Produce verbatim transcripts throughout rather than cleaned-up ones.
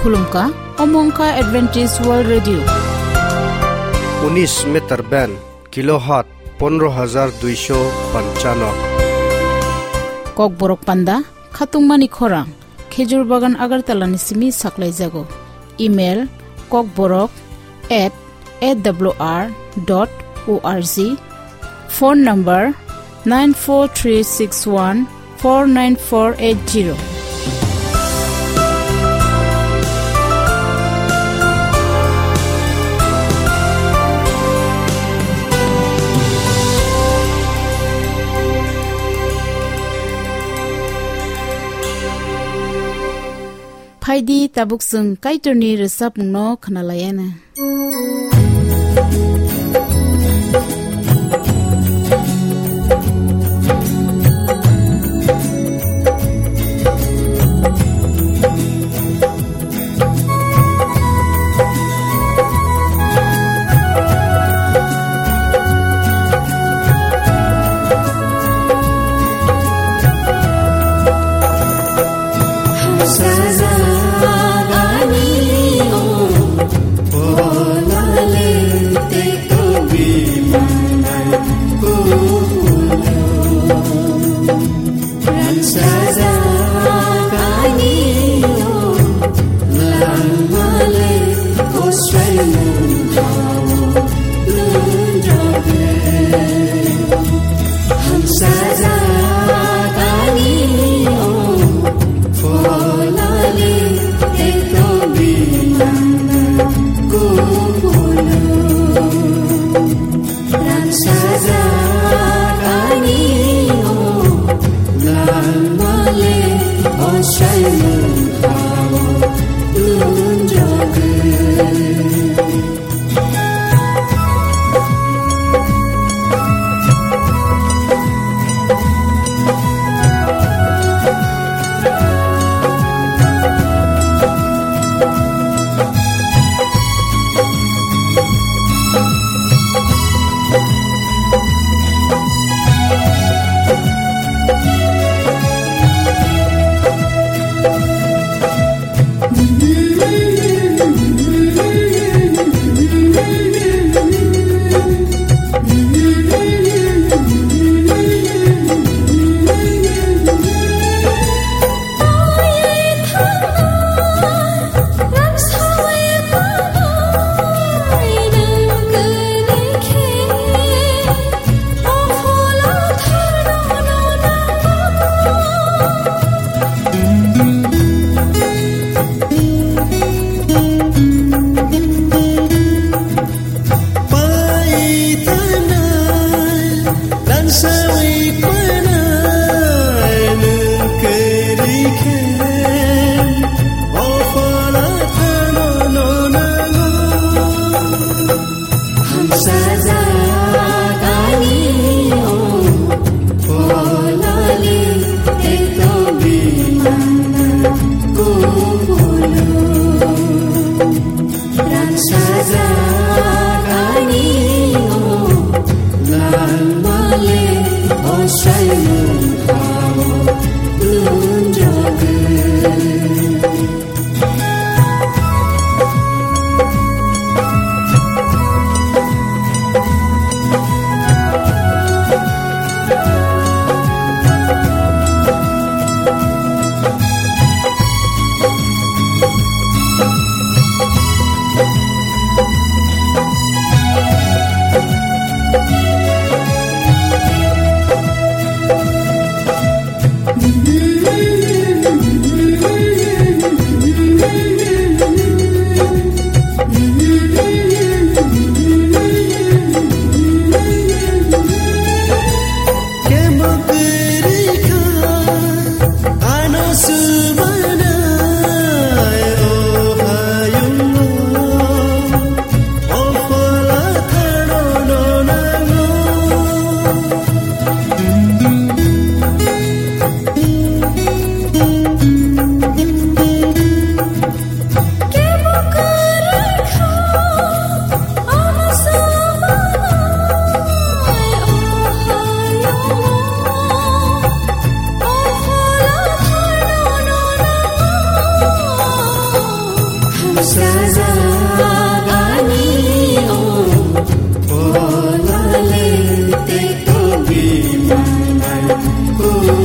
Khulumkha, omo wngkha Adventist World Radio. Unis meter band, kilohertz pondro hajar duisho panchano. Kokborok panda, khatungmani khorang, Khejur Bagan Agartala ni simi saklaijago. Email, kokborok at A W R dot O R G. Phone number nine four three six one four nine four eight zero. Phaidi tabuk chwng Kaitorni rwchapmungno khwnalaiyana. Sajagani o polale te tobi manai kuyo.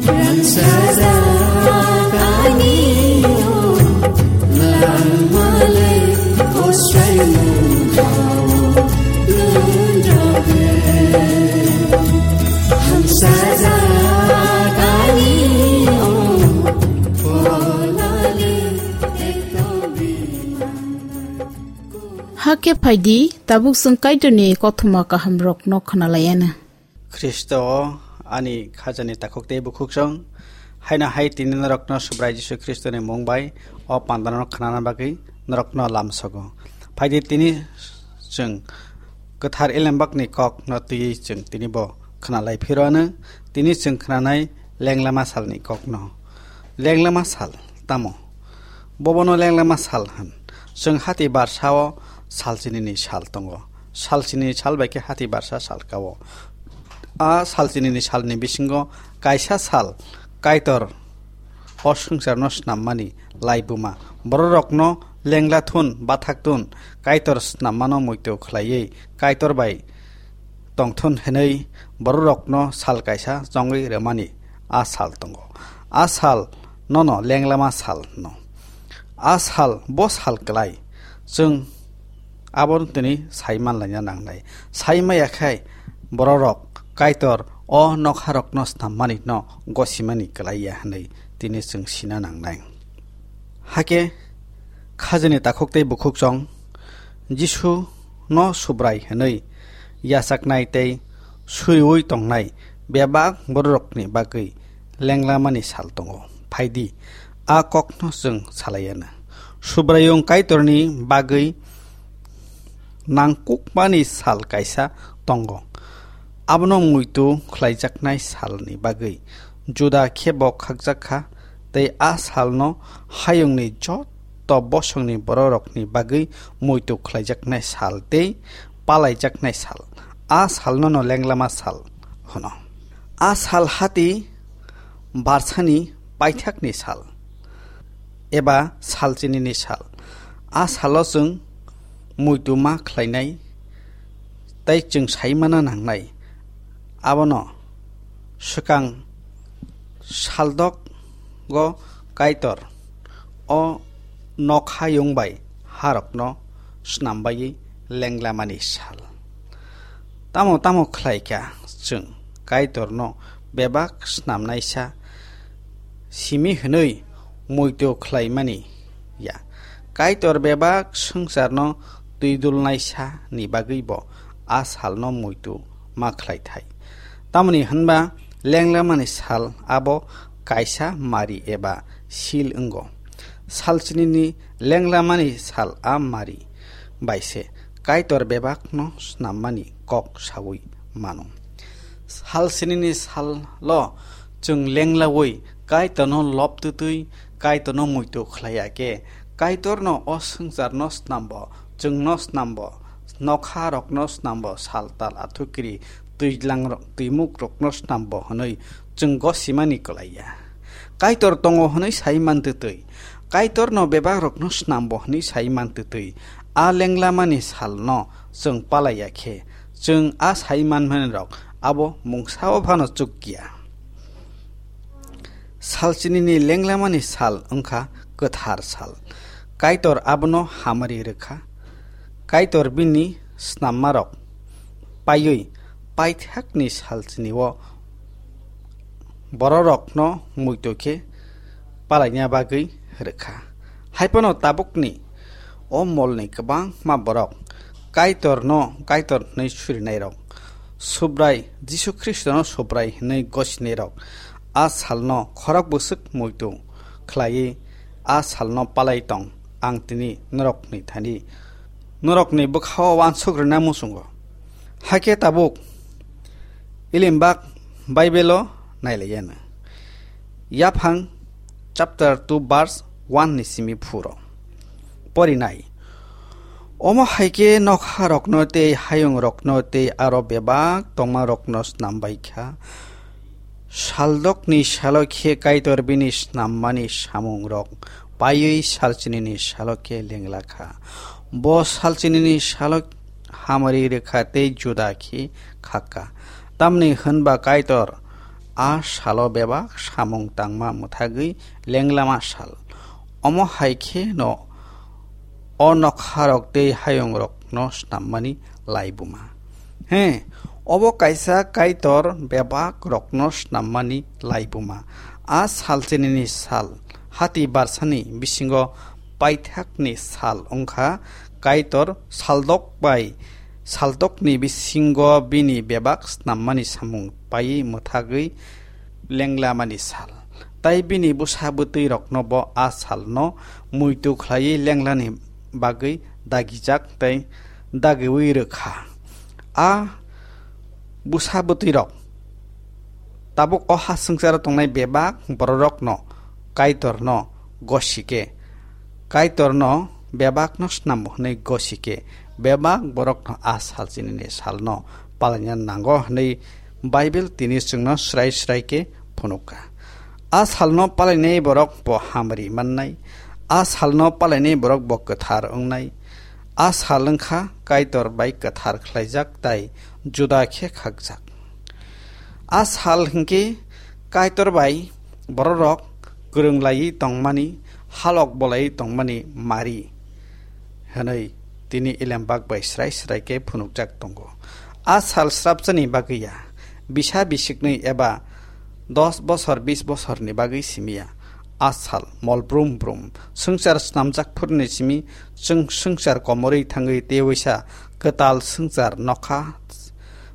Rang sajagani o langmale osai mudao nundrabe. Rang sajagani o Hakhe phaidi, tabuk chwng Kaitorni kothoma kahamrokno khwnalaianw. Khristo o ani khajani takhuk tei bukhuksong, haino hai tini norokno Subrai Jisu Khristoni mung bai o pandano khwnana bagwi norokno lamsogo. Phaidi tini chwng kwthar Elembakni kokno twiwi chwng tini bo khwnalai phiro anw, tini chwng khwnanai lenglama salni kokno. Lenglama sal tamo? Bobono lenglama sal hwn. Chwng hati barsao salchinini sal tongo. Salchinini sal bai khe hati barsa sal kao. A salchinini salni bisingo kaisa sal Kaitor o swngcharno snammani laibuma. Bororokno lengla thun, bathak thun, Kaitor snammano muitu khlaiwi Kaitor bai tongthun hwnwi bororokno sal kaisa chongwi rwmani a sal tongo. A sal nono lenglama sal hwno. A sal bo sal klai, chwng abo tini sai manlaina nangnai. Sai maya khai bororok Kaitor o nokharokno snammani no gosimani klai ya hwnwi tini chwng sina nangnai. Hakhe khajani takhuk tei bukhuksong Jisu no Subrai hwnwi yachaknai tei suriui tongnai bebak bororokni bagwi lenglamani sal tongo. Phaidi, a kokno chwng salaianw. Subraiyung Kaitorni bagwi nangkukmani sal kaisa tongo. Abono muitu khlaijaknai salni bagwi juda khe bo khakjak kha, tei a salno hayungni joto bosongni bororokni bagwi muitu khlaijaknai sal tei palaijaknai sal. A salnono lenglama sal hwno. A sal hati barsani paithakni sal, eba salchinini sal. A salo chwng muitu ma khlainai tei chwng sai mana nangnai. Abono swkang saldok go Kaitor o nokhayung bai harokno snambaiwi lenglamani sal. Tamo tamo khlai kha chwng Kaitorno bebak snamnaisa simi hwnwi muitu khlaimani ya. Kaitor bebak swngcharno twidulnaisa ni bagwi bo a salno muitu ma khlai thai. Tamoni hwnba lenglamani sal abo kaisa mari eba sil wngo. Salchinini lenglamani sal a mari bai se Kaitor bebakno snammani kok saui mano. Salchinini salo chwng lenglaui Kaitorno lobtwtwi Kaitorno muitu khlai ya khe, Kaitorno o swngcharno snambo, chwngno snambo, nokharokno snambo, sal tal athukiri twijlang rok, twimukrokno snambo hwnwi chwng gosimani kwlai ya. Kaitor tongo hwnwi sai mantwtwi, Kaitorno bebakrokno snambo hwnwi sai mantwtwi, a lenglamani salno chwng palai ya khe, chwng a sai manmanirok abo mungsao phano chukya. Salchinini lenglamani sal wngkha kwthar sal. Kaitor abono hamari rwkha. Kaitor bini snammarok paiwi paithakni salchinio bororokno muitu khe palaina bagwi rwkha. Haiphano tabukni o molni kwbangma borok Kaitorno Kaitor hwnwi surinairok, Subrai Jisu Khristono Subrai hwnwi gosinairok, a salno khorok bwswk muitu khlaiwi a salno palai tong, ang tini norokni thani norokni bwkhao uansuk rwna muchungo. Hakhe tabuk Ilimbak Baibelo nailaiyano. Yaphang chapter two verse one ni simi phuro porinai. Omo hai khe nokharokno tei hayungrokno tei aro bebak tongmarokno snambai kha. Saldokni salo khe Kaitor bini snammani samungrok paiwi salchinini salo khe lengla kha. Bo salchinini salo hamari rwkha tei juda khe khakha. Tamni hwnba Kaitor a salo bebak samung tangma mwthagwi lenglama sal. Omo hai khe no o nokharok tei hayungrokno snammani laibuma. He, obo kaisa Kaitor bebakrokno snammani laibuma. A salchinini sal, hati barsani bisingo paithakni sal wngkha, Kaitor saldok bai saldokni bisingo bini bebak snammani samung paiwi mwthagwi lenglamani sal. Tai bini bwsa bwtwi rokno bo a salno muitu khlaiwi lenglani bagwi dagijak tei dagiwi rwkha. A bwsa bwtwi rok tabuk o ha swngcharo tongnai bebak bororokno Kaitorno gosike, Kaitorno bebakno snambo hwnwi gosike, bebak borokno a salchinini salno palaina nango hwnwi Bible tini chwngno srai srai khe phunukha. A salno palainai borok bo hamari mannai, a salno palainai borok bo kwthar wngnai. A sal wngkha Kaitor bai kwthar khlaijak tai juda khe khakjak. A sal hinkhe Kaitor bai bororok kwrwng laiwi tongmani, halok bolaiwi tongmani mari hwnwi tini Elembak bai srai srai khe phunukjak tongo. A sal srapchani bagwi ya, bisa bisiknwi eba dos bosor, bis bosorni bagwi simi ya. A sal mol brum brum, swngchar snamjak phuruni simi chwng swngchar komorwi thangwi tei waisa kwtal swngchar nokha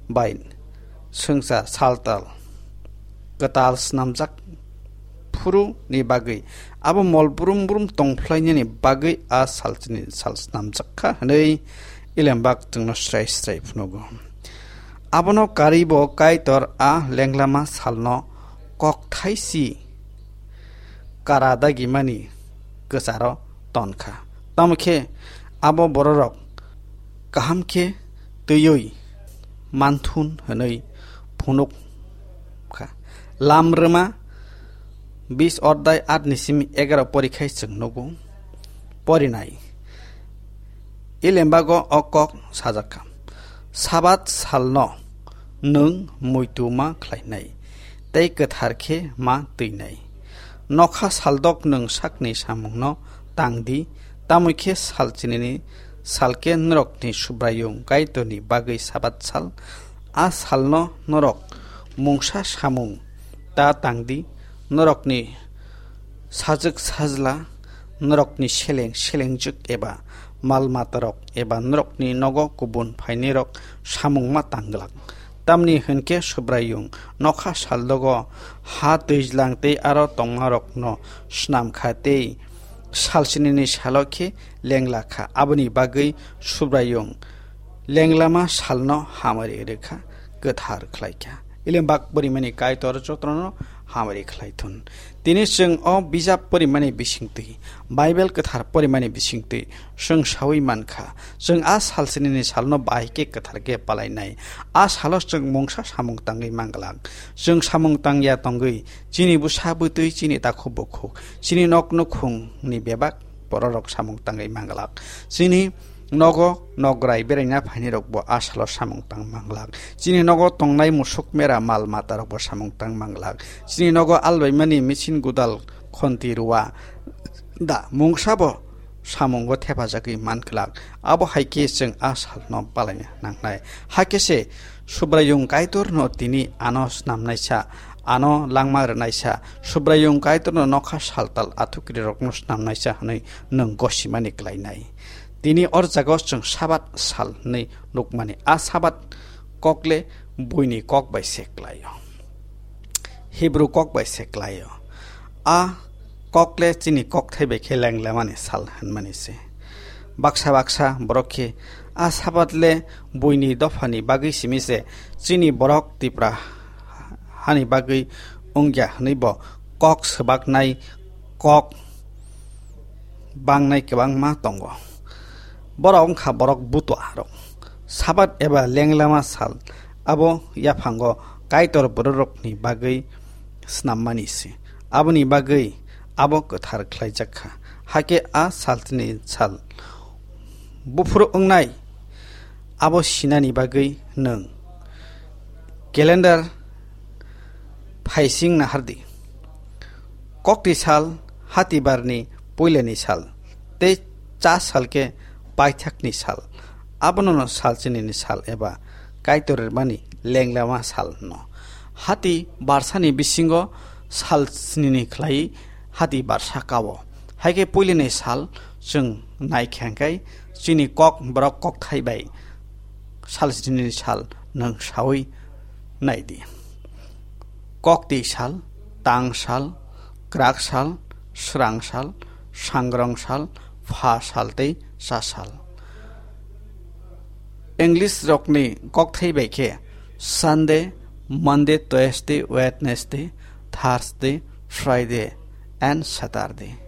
bai swngchar saltal kwtal snamjak phuru ni bagwi, abo mol brum brum tongphlainani bagwi a salchini sal snamjak kha hwnwi Elembak chwngno srai srai phunukgo. Abono karwi bo Kaitor a lenglama salno kokthai si kara dagimani kwcharo ton kha. Tamo khe abo bororok kaham khe twiwi manthun hwnwi phunuk kha. Lam rwma bis ordai aat ni simi egaroh porikhai chwng nugo. Porinai. Ilembago o kok sajak kha. Sabat salno nwng muitu ma khlainai, tei kwthar khe ma twinai. Nokha saldok nwng sakni samungno tang di, tamo khe salchinini salke norokni Subraiyung Kaitorni bagwi Sabat sal. A salno norok mungsa samung ta tang di, norokni sajwk sajla, norokni seleng selengjwk eba mal matarok eba norokni nogo kubun phainairok samung ma tang glak. Tamni hwn khe Subraiyung nokha saldogo ha twijlang tei aro tongmarokno snam kha tei salchinini salo khe lengla kha. Aboni bagwi Subraiyung lenglama salno hamari rwkha, kwthar khlai kha. Ilembak porimani Kaitor jotono hamari khlai thun. Tini chwng o bijap porimani bisingtwi, Bible kwthar porimani bisingtwi chwng saui man kha, chwng a salchinini salno bahai khe kwthar khe palainai. A salo chwng mungsa samung tangwi man glak. Chwng samung tangya tongwi, chini bwsa bwtwi, chini takhuk bukhuk, chini nok nukhungni bebak bororok samung tangwi man glak. Chini nogo nograi beraina phainirokbo a salo samung tang man glak. Chini nogo tongnai musuk mera mal matarokbo samung tang man glak. Chini nogo albaimani machine gudal khonti rua da mungsabo samungo thepajagwi man glak. Abo hai khe chwng a salno palaina nangnai. Hakhe se Subraiyung Kaitorno tini ano snamnaisa, ano langma rwnaisa, Subraiyung Kaitorno nokha saltal athukrirokno snamnaisa hwnwi nwng gosimani klainai. Tini o jagao chwng Sabat sal hwnwi nukmani. A Sabat kokle buini kok bai se klaio. Hebru kok bai se klaio. A kokle chini kokthai bai khe lenglemani sal hwnmani se. Baksa baksa borok khe a Sabat le buini dophani bagwi simi se, chini borok Tipra hani bagwi wngya hwnwi bo kok swbaknai kok bangnai kwbangma tongo. Borok wngkha borok butuarok. Sabat eba lenglama sal abo yaphango Kaitor bororokni bagwi Snammani se. Aboni bagwi abo kwthar khlaijak kha. Hakhe a salchini sal buphuru wngnai abo sinani bagwi nwng calendar phaising nahardi. Kokti sal, hatibarni puilani sal, tei cha salkhe paithakni sal. Abono no salchinini sal eba Kaitor rimani lenglama sal hwno. Hati barsani bisingo sal snini khlai hati barsa kao. Haikhe puilani sal chwng naikha hwnkhe chini kok borok kokthai bai sal snini sal nwng saui naidi. Kokti sal, tang sal, kwrak sal, srang sal, sangrong sal, pha sal tei cha sal. English rokni kokthai bai khe Sunday, Monday, Tuesday, Wednesday, Thursday, Friday and Saturday.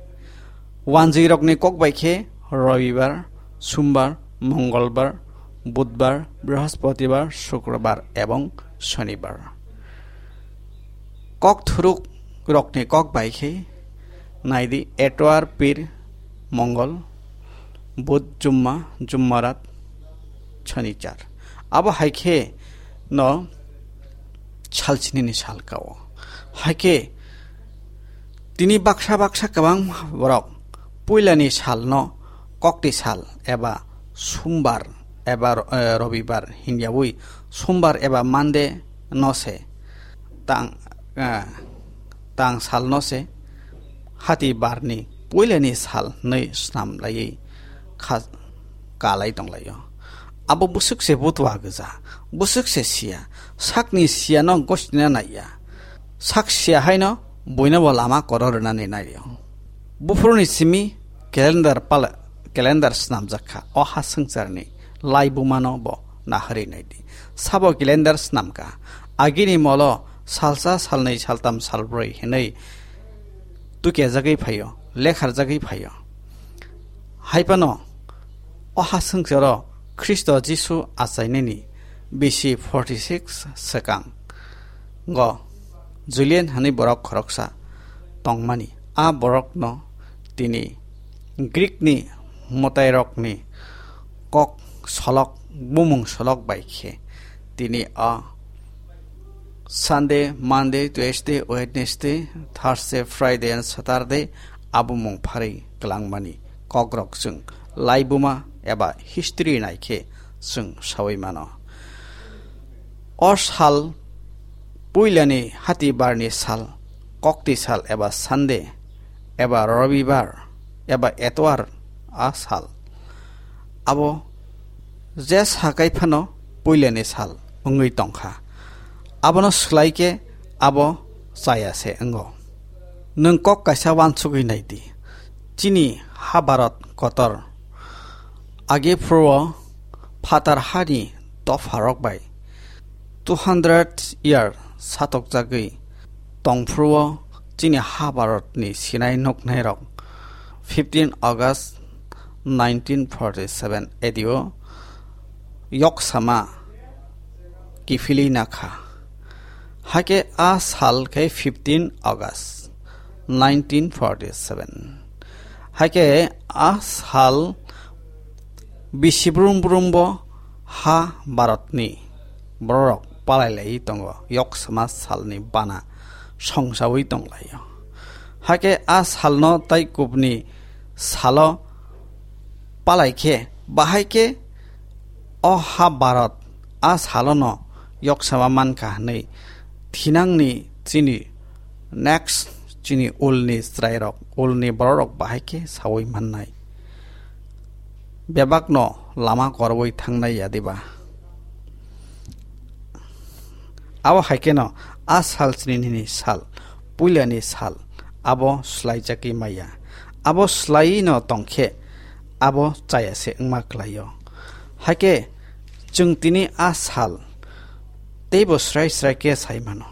Wanjwi rokni kok bai khe Robibar, Sumbar, Mongolbar, Budbar, Brihaspatibar, Sukrobar ebong Sonibar. Kokthuruk rokni kok bai khe naidi Etwar, Pir, Mongol, Bud, Jumma, Jummarat, Sonichar. Abo hai khe no salchinini sal kao. Hai khe tini baksa baksa kwbang borok puilani salno kokti sal eba Sumbar eba, eh, Robibar hinyaui Sumbar eba Monday no se tang, eh, tang sal no se hati barni puilani sal hwnwi snam laiwi kha-, kalai tonglaio. Abo bwswk se butwa gwja, bwswk se siya, sakni siyano gostina naiya. Sak siya haino buino bo lama koro rwnani naio. Buphuruni simi calendar pala, calendar snamjak kha o ha swngcharni laibumano bo naharwi naidi. Sabo calendar snamkha, agini molo salsa, salnwi, saltam, salbrwi hinwi tukejagwi phaio, lekharjagwi phaio. Haiphano o ha swngcharo Khristo Jisu achainani B C forty six swkang go Julian hwnwi borok khoroksa tongmani. A borokno tini Greek ni mwtairokni kok solok, bumung solok bai khe tini a Sunday, Monday, Tuesday, Wednesday, Thursday, Friday and Saturday abumung pharwi kwlangmani kokrok chwng laibuma eba history nai khe chwng saui mano. O sal puilani hati barni sal, kokti sal eba Sunday, eba Robibar, eba Etwar a sal. Abo je sakai phano puilani sal wngwi tongkha. Abono swlai khe abo chaya se wngo. Nwng kok kaisa uansugwi nai di. Chini ha Bharat kotor age phuru o phatar hani dopharok bai two hundred year satokjagwi tongphuru o chini ha Bharatni sinai nuknairok fifteen August nineteen forty seven A D o yoksama kiphilwi nakha. Hakhe a sal khe fifteen August nineteen forty seven. Hakhe a sal bisi brum brum bo ha Bharatni bororok palai lai tongo, yoksama salni bana songsaui tonglaio. Hakhe a salno tai kubni salo palai khe, bahai khe o ha Bharat a salono yoksama mankha hwnwi thinangni chini next chini ulni chwrairok, ulni bororok bahai khe saui mannai. Bebakno lama korwi thangnai ya diba? Abo hai kheno a sal chini nini sal, puilani sal, abo swlaijakwi maya. Abo swlaiwi no tongkhe abo chaya se wngma kwlaio. Hakhe chwng tini a sal teibo srai srai khe sai mano.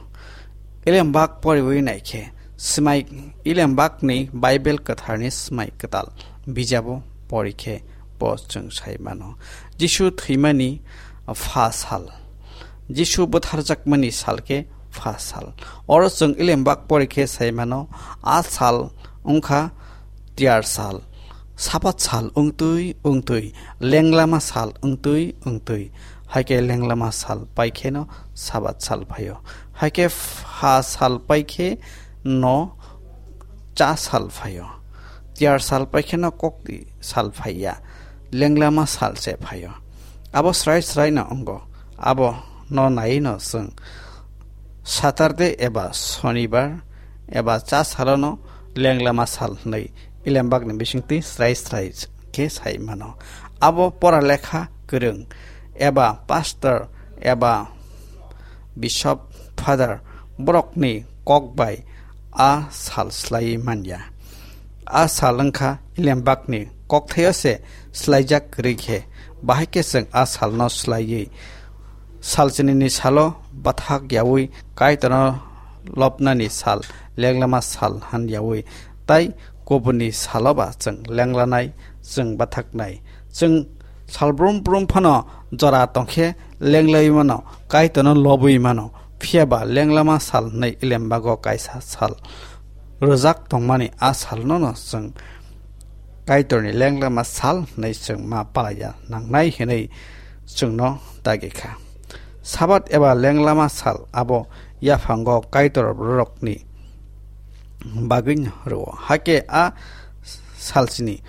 Elembak poriwi naikhe, swmai, Elembakni Bible Kwtharni Swmai Kwtal bijabo porikhe bo chwng sai mano. Jisu thwimani pha sal, Jisu butharjakmani sal khe pha sal. Oro chwng Elembak pori khe sai mano, a sal wngkha tiyar sal, Sabat sal wngtwi wngtwi, lenglama sal wngtwi wngtwi, hai khe lenglama sal pai kheno Sabat sal phaio. Hai khe pha sal pai khe no cha sal phaio. Tiyar sal pai kheno kokti sal phaiya. Lenglama sal se phaio. Abo srai srai no wngo. Abo no nai no chwng Saturday eba Sonibar eba cha salono lenglama sal hwnwi Elembakni bisingtwi srai srai khe sai mano. Abo pora lekha kwrwng eba pastor eba bishop, father borokni kok bai a sal slaiwi manya. A sal wngkha Elembakni kokthaio se slaijak kwrwi khe, bahai khe chwng a salno slaiwi salchinini salo bathak yaui Kaitorno lobnani sal, lenglama sal han yaui, tai kubuni salo ba chwng lenglanai, chwng bathaknai. Chwng sal brum brum phano jora tongkhe lenglaiwi mano, Kaitorno lobwi mano. Phiya ba lenglama sal hwnwi Elembago kaisa sal rwjak tongmani a salno no chwng Kaitorni lenglama sal hwnwi chwng ma palaiya nangnai hwnwi chwngno dagi kha. Sabat eba lenglama sal abo yaphango Kaitor bororokni bagwi rwo. Hakhe a salsini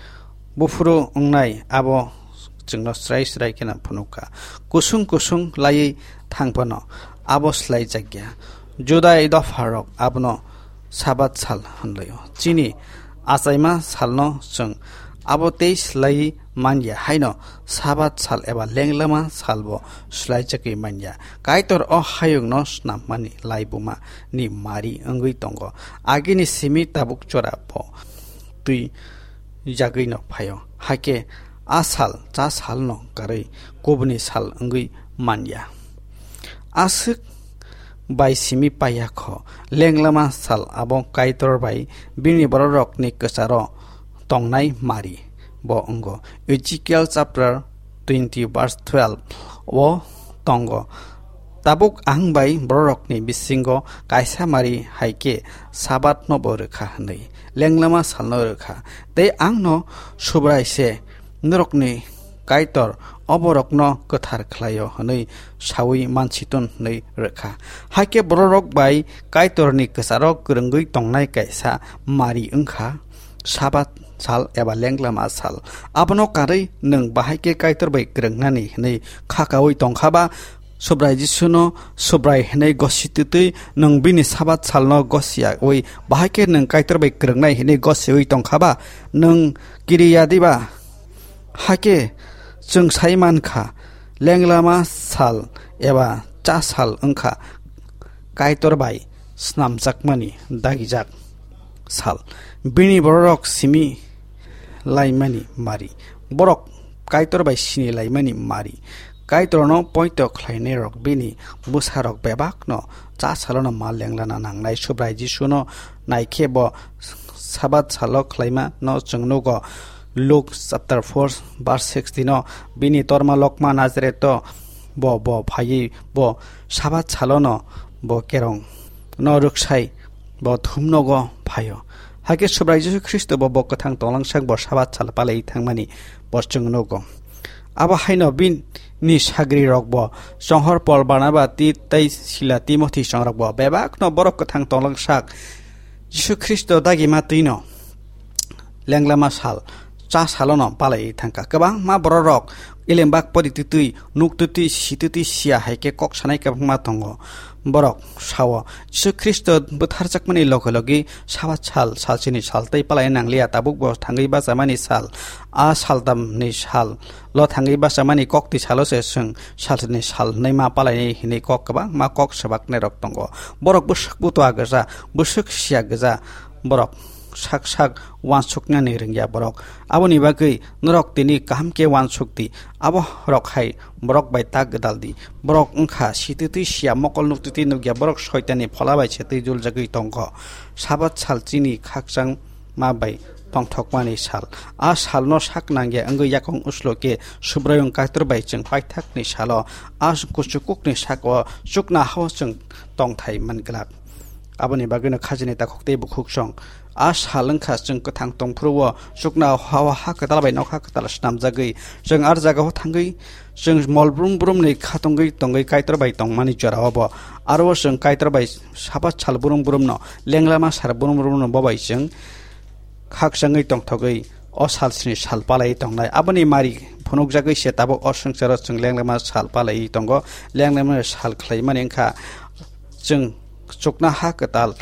buphuru wngnai abo chwngno srai srai kheno phunukha. Kusung kusung laiwi thang phano abo slaijakya. Judai dopharok abono Sabat sal hwnlaio. Chini achaima salno chwng abo tei slaiwi manya haino Sabat sal eba lenglama salbo slaijagwi manya. Kaitor o hayungno snammani laibuma ni mari wngwi tongo. Agini simi tabuk chora bo twi jagwino phaio. Hakhe a sal cha salno karwi kubuni sal wngwi manya. Aswk bai simi paiya kho, lenglama sal abo Kaitor bai bini bororokni kwcharo tongnai mari bo wngo. Ezekiel chapter twenty verse twelve o tongo. Tabuk ang bai bororokni bisingo kaisa mari hai khe Sabatno bo rwkha hwnwi, lenglama salno rwkha. Tei ang no Subrai se norokni Kaitor, o borokno kwthar khlaio hwnwi saui mansiton hwnwi rwkha. Hakhe bororok bai Kaitorni kwcharo kwrwngwi tongnai kaisa mari wngkha Sabat sal eba lenglama sal. Abono karwi nwng bahai khe Kaitor bai kwrwngnani hwnwi khakaui tongkha ba, Subrai Jisuno Subrai hwnwi gosi twtwi nwng bini Sabat salno gosiyaui bahai khe nwng Kaitor bai kwrwngnai hwnwi gosiui tongkha ba, nwng kiriya diba? Hakhe chwng sai man kha, lenglama sal eba cha sal wng kha Kaitor bai snamjakmani dagijak sal. Bini bororok simi laimani mari. Borok Kaitor bai sini laimani mari. Kaitorno poito khlainairok bini bwsarok bebakno cha salono ma lenglana nangnai. Subrai Jisuno naikhe bo Sabat salo khlaima no chwng nugo. Luke chapter four verse sixteen o bini torma lokma Nazaret o bo, bo phaiwi bo Sabat salono bo kerong no rwksai bo thumnogo phaio. Hakhe Subrai Jisu Khristo bo, bo kwthang tonglang sak bo Sabat sal palai thangmani bo chwng nugo. Abo haino bini sagri rok bo, Chonghor Pol, Barnaba, Ti-, tei Sila, Timothi chongrok bo bebakno borok kwthang tonglang sak Jisu Khristo dagima twino lenglama sal, cha salono palai thangkha. Kwbangma bororok elembak pori twtwi, nuk twtwi, si twtwi siya hai khe kok sanai kwbangma tongo. Borok sao, Jisu Khristo bwtharjakmani loge loge Sabat sal, salsini sal tei palai nangliya, tabuk bo thangwi bachamani sal, a saltamni sal, lo thangwi bachamani kokti salo se chwng salsini sal hwnwi ma palaini hwnwi kok kwbangma kok swbaknairok tongo. Borok bwswk butua gwja, bwswk siya gwja, borok sak sak uansuknani rwngya borok. Aboni bagwi norok tini kaham khe uansuk di. Abo rok hai borok bai tak gwdal di. Borok wngkha sitwtwi siya, mokol nuktwtwi nukya, borok soitanni phola bai se twi juljagwi tongkho. Sabat sal chini khakchang ma bai tongthokmani sal. A salno sak nangya wngwi yakung uslo khe Subraiyung Kaitor bai chwng paithakni salo a kuchukukni sako chukna hao chwng tongthai man glak. Aboni bagwino khajini takhuk tei bukhuksong a sal wngkha chwng kwthang tongphuru-o chukna hao ha kwtal bai nokha kwtal snamjagwi chwng ar jagao thangwi chwng mol brum brumni khatungwi tongwi Kaitor bai tongmani jorao bo aro chwng Kaitor bai saba sal brum brumno lenglama sal brum brumno bo bai chwng khakchangwi tongthogwi o salsni sal palaiwi tongnai. Aboni mari phunukjagwi se tabuk o swngcharo chwng lenglama sal palaiwi tongo. Lenglama sal khlaimani wngkha chwng chukna ha kwtal,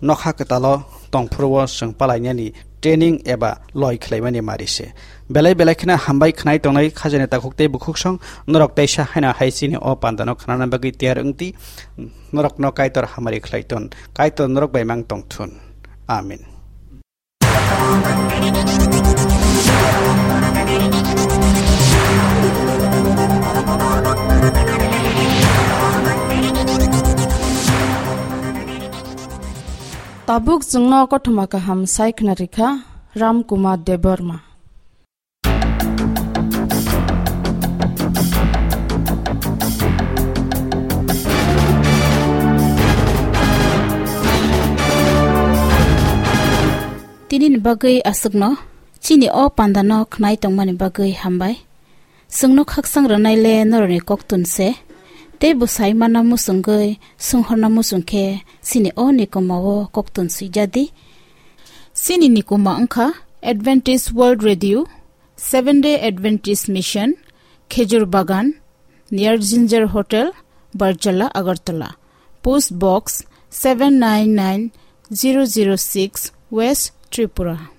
nokha kwtalo tongphuru-o chwng palainani training eba loi khlaimani mari se. Belai belai kheno hambai khnai tongnai khajani takhuk tei bukhuksong norok teisa haino hai chini o pandano khnana bagwi tiyar wngdi. Norokno Kaitor hamari khlai ton. Kaitor norok bai mang tongthun. Amen. Tabuk chwngno kothoma kaham sai khna rikha Ram Kumar Debbarma. Tini ni bagwi aswkno, chini o panda no khnai tongmani bagwi hambai. Chwngno khakchang rwnai le norokni koktun se, tei bwsai manna muchungwi swnghorna muchung khe chini o nikoma o koktun swijadi. Chini nikoma wngkha Adventist World Radio, Seventh Day Adventist Mission, Khejur Bagan, near Ginger Hotel, Barjala, Agartala. Post Box seven nine nine zero zero six, West Tripura.